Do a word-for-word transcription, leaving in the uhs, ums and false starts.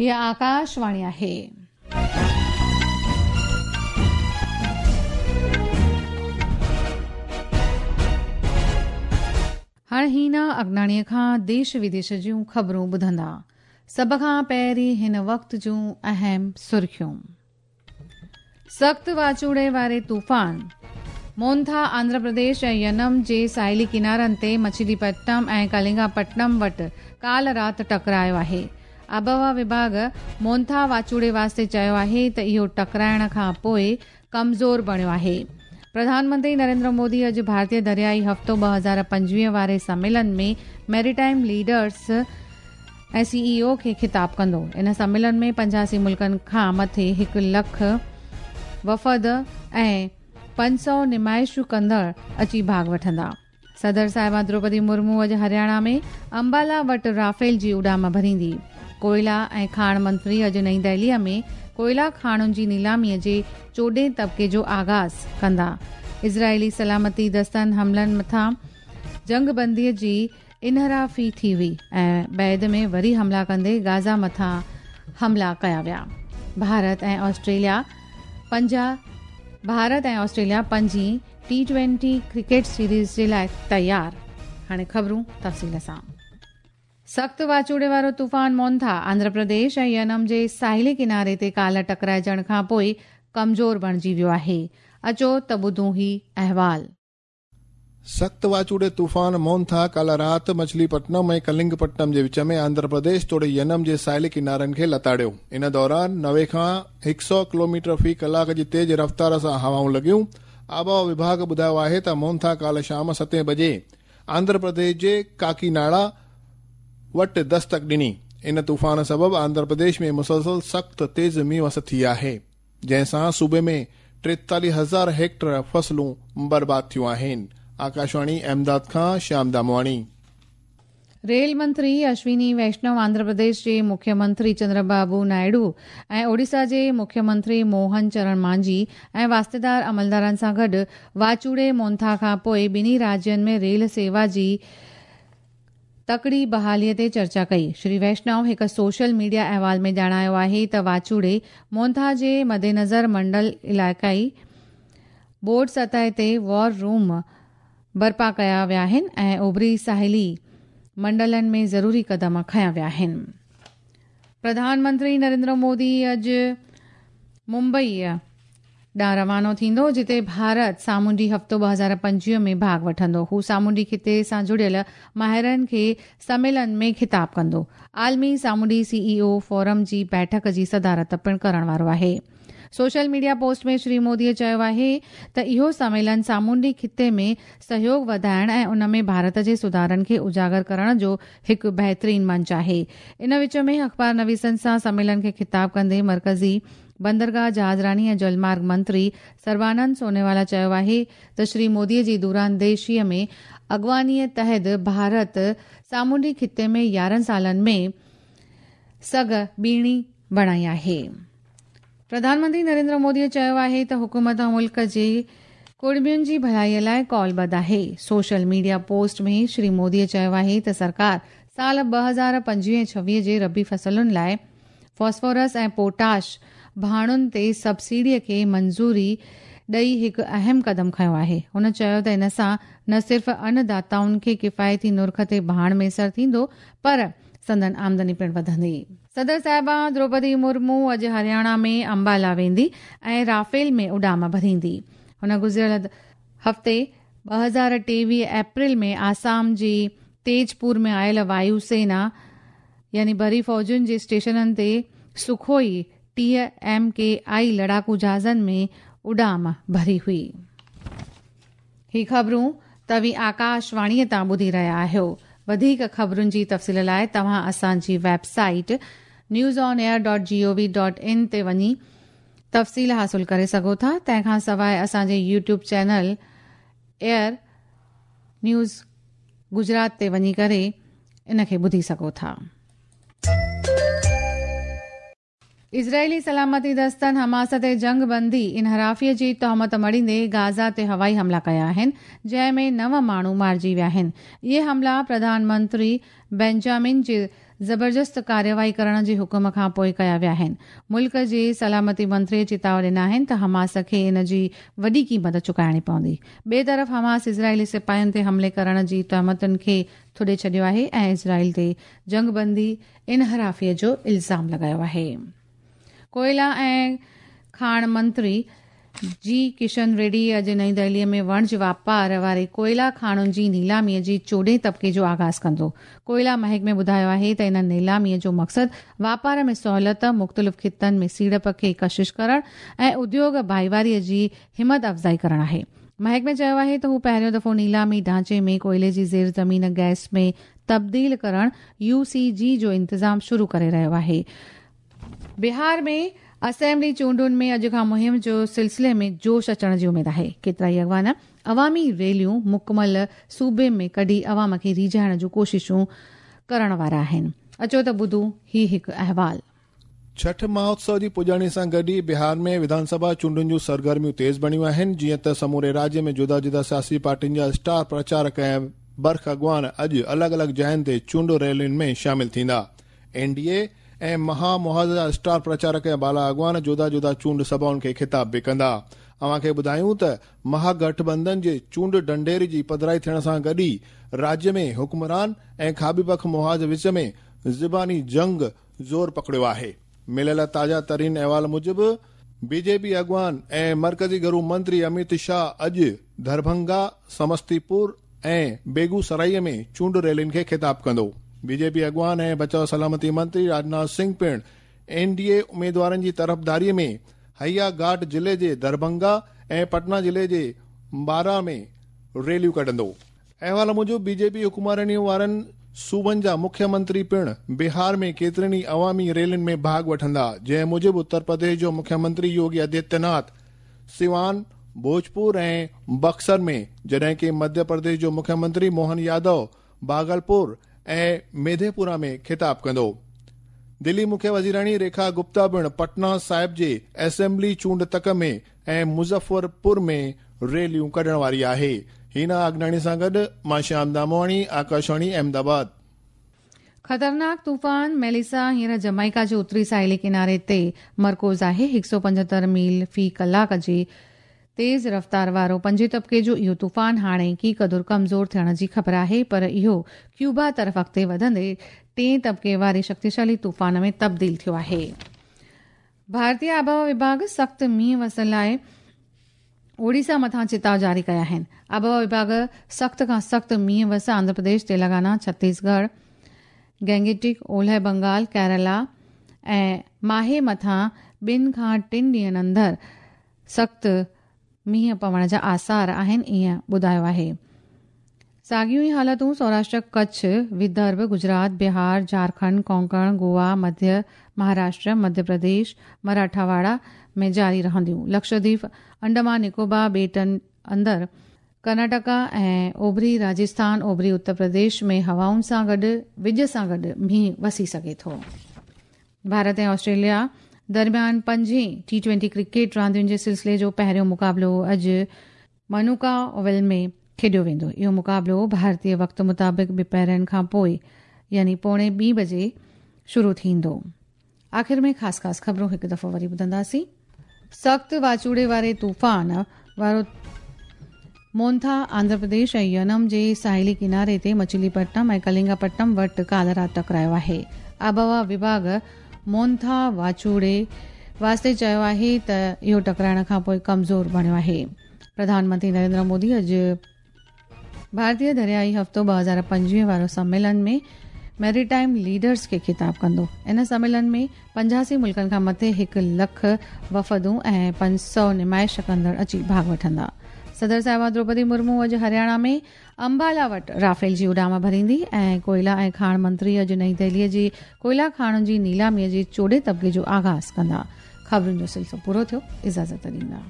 हीअ आकाशवाणी आहे। हाणे हीना अगनाणीअ खां देश विदेश जूं ख़बरूं ॿुधंदा। सभ खां पहिरीं हिन वक़्त जूं अहम सुर्खियूं। सख़्त वाचूड़े वारे तूफ़ान मोंथा आंध्र प्रदेश ऐं यनम जे साहिली किनारनि ते मछलीपट्टनम ऐं कलिंगापट्टनम वटि काल राति टकरायो आहे। आबहवा विभाग मोंथा वाचूड़े वास्ते चयो आहे त इहो टकराइण खां पोइ कमज़ोर बणियो आहे। प्रधानमंत्री नरेंद्र मोदी अॼु भारतीय दरियाई हफ़्तो ॿ हज़ार पंजवीह वारे सम्मेलन में मैरीटाइम लीडर्स ऐं सीईओ खे ख़िताब कंदो। इन सम्मेलन में पंजासी मुल्कनि खां मथे हिकु लख वफ़द ऐं पंज सौ नुमाइशूं कंदड़ अची भाॻ वठंदा। सदर साहिबा द्रौपदी मुर्मू अॼु हरियाणा में अंबाला वटि राफेल जी उॾाम भरींदी। कोयला ऐं खाण मंत्री अॼु नई दिल्लीअ में कोयला खाणुनि जी नीलामीअ जे चोॾहें तबिके जो आग़ाज़ कंदा। इज़राइली सलामती दस्तनि हमलनि मथां जंगबंदीअ जी इनहराफ़ी थी हुई ऐं बैद में वरी हमला कंदे गाज़ा मथां हमला कया विया। भारत ऐं ऑस्ट्रेलिया पंजा भारत ऐं ऑस्ट्रेलिया पंजीं टी ट्वेंटी क्रिकेट सीरीज़ जे लाइ तयार। हाणे ख़बरूं तफ़सील सां। सख़्त वाचूड़े वारो तूफ़ान मोंथा आंध्र प्रदेश ऐं यनम जे साहिली किनारे ते काल टकराइजण खां पोइ कमज़ोर बणिजी वियो आहे। अचो त ॿुधूं ही अहवाल। सख़्त वाचूड़े तूफ़ान मोंथा काल राति मछलीपट्टनम ऐं कलिंगपट्टनम जे विच में आंध्र प्रदेश तोड़े यनम जे साहिली किनारनि खे लताड़ियो। इन दौरान नवे खां हिकु सौ किलोमीटर फ़ी कलाक जी तेज़ रफ़्तार सां हवाऊं लॻियूं। आबहवा विभाग ॿुधायो आहे त मोंथा काल शाम सतें बजे आंध्र प्रदेश जे काकीनाडा वटि दस्तक ॾिनी। इन तूफ़ान सबबि आंध्र प्रदेश में मुसलसल सख़्त तेज़ मींहुं वस थी आहे, जंहिंसां सूबे में टेतालीह हज़ार हेक्टर फसलूं बर्बाद थियूं आहिनि। आकाशवाणी अहमदाबाद खां श्याम दामवाणी। रेल मंत्री अश्विनी वैष्णव आंध्र प्रदेश जे मुख्यमंत्री चंद्रबाबू नायडू ऐं ओडिशा जे मुख्यमंत्री मोहन चरण मांझी ऐं वास्तेदार अमलदारनि सां गॾु वाचूड़े मोंथा खां पोइ ॿिन्ही राज्यनि में रेल सेवा जी तकड़ी बहालीअ ते चर्चा कई। श्री वैष्णव हिकु सोशल मीडिया अहवाल में ॼाणायो आहे त वाचूड़े मोंथा जे मदेनज़र मंडल इलाइक़ाई बोर्ड सतह ते वॉर रूम बर्पा कया विया आहिनि ऐं ओभरी साहिली मंडलनि में ज़रूरी क़दम खयां विया आहिनि। प्रधानमंत्री नरेंद्र मोदी अॼु मुंबई ॾांहुं रवानो थींदो, जिते भारत सामुंडी हफ़्तो ॿ हज़ार पंजवीह में भाॻ वठंदो। हू सामुंडी ख़िते सां जुड़ियल माहिरनि खे सम्मेलन में ख़िताब कंदो। आलमी सामुंडी सीईओ फोरम जी बैठक जी सदारत पिणु करण वारो आहे। सोशल मीडिया पोस्ट में श्री मोदीअ चयो आहे त इहो सम्मेलन सामुंडी ख़िते में सहयोग वधाइण ऐं उन में भारत जे सुधारनि खे उजागर करण जो हिकु बहितरीन मंच आहे। इन विच में अख़बार नवीसनि सां सम्मेलन खे ख़िताब कंदे मर्कज़ी बंदरगाह जहाज़रानी ऐं जलमार्ग मंत्री सर्बानंद सोनोवाला चयो आहे त श्री मोदीअ जी दूरांदेशीअ में अॻवानीअ तहत भारत सामुंडी ख़िते में यारहं सालनि में सघ ॿीणी बणाई आहे। प्रधानमंत्री नरेंद्र मोदीअ चयो आहे त हुकूमत मुल्क जे कुड़मियुनि जी भलाईअ लाइ कॉलबद्ध आहे। सोशल मीडिया पोस्ट में श्री मोदीअ चयो आहे त सरकार साल ॿ हज़ार पंजवीह छवीह जे रबी फसलुनि लाइ फॉस्फोरस ऐं पोटाश भाणुनि ते सब्सिडीअ खे मंज़ूरी ॾेई हिकु अहम क़दम खयो आहे। हुन चयो त इन सां न सिर्फ़ अन्नदाताउनि खे किफ़ायती नुर्ख ते भाण मयसर थींदो, पर संदन आमदनी पिणु वधंदी। सदर साहिबा द्रौपदी मुर्मू अॼु हरियाणा में अंबाला वेंदी ऐं राफेल में उॾाम भरींदी। हुन गुज़िरियल हफ़्ते ॿ हज़ार टेवीह अप्रैल में आसाम जी तेजपुर में आयल वायुसेना यानी बरी फ़ौजुनि जे स्टेशननि ते सुखोई टीह एम के आई लड़ाकू जहाज़नि में उॾाम भरी हुई। ही ख़बरूं तव्हीं आकाशवाणीअ तां ॿुधी रहिया आहियो। वधीक ख़बरुनि जी तफ़सील लाइ तव्हां असांजी website news on air dot G O V dot in ते वञी तफ़सील हासिल करे सघो था। तंहिंखां सवाइ असांजे YouTube channel air news Gujarat ते वञी करे इन खे ॿुधी सघो था। इज़राइली सलामती दस्तनि हमास ते जंगबंदी इनहराफ़ीअ जी तोहमत मढ़ींदे गाज़ा ते हवाई हमला कया आहिनि, जंहिं में नव माण्हू मारिजी विया आहिनि। इहे हमला प्रधानमंत्री बेंजामिन जे ज़बरदस्त कार्रवाई करण जे हुकुम खां पोइ कया विया आहिनि। मुल्क जे सलामती मंत्री चेताव ॾिना आहिनि त हमास खे इन जी वॾी क़ीमत चुकाइणी पवंदी। ॿिए तरफ़ हमास इज़राइली सिपाहियुनि ते हमले करण जी तहमतुनि खे थुॾे छॾियो आहे ऐं इज़राइल ते जंगबंदी इनहराफ़ीअ जो इल्ज़ाम लॻायो आहे। कोयला ऐं खाण मंत्री जी किशन रेड्डी अॼु नई दिल्लीअ में वणज वापार वारे कोयला खाणुनि जी नीलामीअ जी चोॾहें तबिके जो आगाज़ कंदो। कोयला महकमे ॿुधायो आहे त इन नीलामीअ जो मक़सदु वापार में सहूलियत, मुख़्तलिफ़ ख़ितनि में सीड़प खे कशिश करण ऐं उद्योग भाईवारीअ जी हिमत अफ़ज़ाई करण आहे। महकमे चयो आहे त हू पहिरियों दफ़ो नीलामी ढांचे में कोयले जी ज़ेर ज़मीन गैस में तब्दील करण you see जी जो इंतज़ाम शुरू करे रहियो आहे। बिहार में असेंबली चूंडुनि में अॼु खां मुहिम जो सिलसिले में जोश अचण जी उमेद आहे। केतिरा ई अॻवान अवामी रैलियूं मुकमल सूबे में कढी अवाम खे रीझाइण जूं कोशिशूं करण वारा आहिनि। अचो त ॿुधूं ही हिकु अहवाल। छठ महोत्सव जी पुॼाणी सां गॾु ई बिहार में विधानसभा चूंडुनि जूं सरगर्मियूं तेज़ बणियूं आहिनि। जीअं त समूरे राज्य में जुदा जुदा सियासी पार्टियुनि जा स्टार प्रचारक ऐं बर्ख अॻवान अॼु अलॻि अलॻि जायुनि ते चूंड रैलियुनि में शामिल थींदा। एन डी ए ऐं महामुहाज़ जा स्टार प्रचारक ऐं बाला अॻवान जुदा जुदा चूंड सभाउनि खे ख़िताब बि कंदा। अव्हां खे ॿुधायूं त महागठबंधन जे चूंड ढंढेर जी पधराई थियण सां गॾु ई राज्य में हुक्मरान ऐं खाॿी पख मुहाज़ विच में ज़ुबानी जंग ज़ोर पकड़ियो आहे। मिलियल ताज़ा तरीन अहवाल मूजिबि बीजेपी अॻवान ऐं मर्कज़ी घरू मंत्री अमित शाह अॼु दरभंगा, समस्तीपुर ऐं बेगूसराय में चूंड रैलियुनि खे ख़िताब कंदो। बीजेपी अॻवान ऐं बचाव सलामती मंत्री राजनाथ सिंह पिण एन डी ए उमेदवारनि जी तरफ़दारीअ में हया घाट ज़िले जे दरभंगा ऐं पटना ज़िले जे बारा में रैलियूं कढंदो। अहवाल मूजिबि बीजेपी हुकुमरानी वारनि सूबनि जा मुख्यमंत्री पिण बिहार में केतिरनि ई अवामी रैलियुनि में भाॻ वठंदा, जंहिं मूजिबि उत्तर प्रदेश जो मुख्यमंत्री योगी आदित्यनाथ सिवान, भोजपुर ऐं बक्सर में, जॾहिं की मध्य प्रदेश जो मुख्यमंत्री मोहन यादव भागलपुर ऐं मेधेपुरा में ख़िताब कंदो। दिल्ली मुख्य वज़ीराणी रेखा गुप्ता पिण पटना साहिब जे असेंबली चूंड तक में ऐं मुज़फ़रपुर में रैलियूं कढण वारी आहे। हीना आगनाणी सां गॾु मां श्याम दामोआणी, आकाशवाणी अहमदाबाद। ख़तरनाक तूफ़ान मेलिसा हींअर जमैका जे उत्तरी साहिली किनारे ते मरकूज़ आहे। हिकु सौ पंजहतरि मील फ़ी कलाक जी तेज़ रफ़्तार वारो पंजे तबिके जो इहो तूफ़ान हाणे की क़दुरु कमज़ोर थियण जी ख़बर आहे, पर इहो क्यूबा तरफ़ अॻिते वधंदे टे तबिके वारे शक्तिशाली तूफ़ान में तब्दील थियो आहे। भारतीय आबहावा विभाग सख़्तु मींहुं वसण लाइ ओडिशा मथां चेताव जारी कया आहिनि। आबहावा विभाग सख़्त खां सख़्तु मींहुं वस आंध्र प्रदेश, तेलंगाना, छत्तीसगढ़, गैंगेटिक, ओलह बंगाल, केरला ऐं माहे मथां ॿिनि खां टिनि ॾींहंनि अंदरि सख़्तु मींहुं पवण जा आसार आहिनि, ईअं ॿुधायो आहे। साॻियूं ई हालतूं सौराष्ट्र, कच्छ, विदर्भ, गुजरात, बिहार, झारखंड, कोंकण, गोवा, मध्य महाराष्ट्र, मध्य प्रदेश, मराठावाड़ा में जारी रहंदियूं। लक्षद्वीप, अंडमान निकोबार ॿेटनि अंदरि, कर्नाटका ऐं ओभरी राजस्थान, ओभरी उत्तर प्रदेश में हवाउनि सां गॾु विज सां गॾु मींहुं वसी सघे थो। भारत ऐं ऑस्ट्रेलिया दरमियान पंजें टी ट्वेंटी क्रिकेट रांदियुनि जे सिलसिले जो पहिरियों मुक़ाबिलो अॼु मनुका ओवल में खेॾियो वेंदो। इहो मुक़ाबिलो भारतीय वक़्त मुताबिक़ ॿिपहरनि खां पोइ यानी पौणे ॿी बजे शुरू थींदो। आख़िर में ख़ासि ख़ासि ख़बरूं हिकु दफ़ो वरी ॿुधंदासीं। सख़्तु वाचूड़े वारे तूफ़ान वारो मोंथा आंध्र प्रदेश ऐं यनम जे साहिली किनारे ते मछलीपट्टनम ऐं कलिंगापट्टनम वटि काल्ह राति टकरायो आहे। आबहावा विभाग मोंथा वाचूड़े वास्ते चयो आहे त इहो टकराइण खां पोइ कमज़ोर बणियो आहे। प्रधानमंत्री नरेंद्र मोदी अॼु भारतीय दरियाई हफ़्तो ॿ हज़ार पंजवीह वारो सम्मेलन में मैरीटाइम लीडर्स खे ख़िताब कंदो। इन सम्मेलन में पंजासी मुल्कनि खां मथे हिकु लख वफ़दूं ऐं पंज सौ नुमाइश कंदड़ अची भाॻ वठंदा। सदर साहिबा द्रौपदी मुर्मू अॼु हरियाणा में अंबाला वटि राफेल जी उॾाम भरींदी ऐं कोयला ऐं खाण मंत्री अॼु नई दिल्लीअ जी कोयला खाणुनि जी नीलामीअ जे चोॾहें तबिके जो आगाज़ कंदा। ख़बरुनि जो सिलसिलो पूरो थियो, इजाज़त ॾींदा।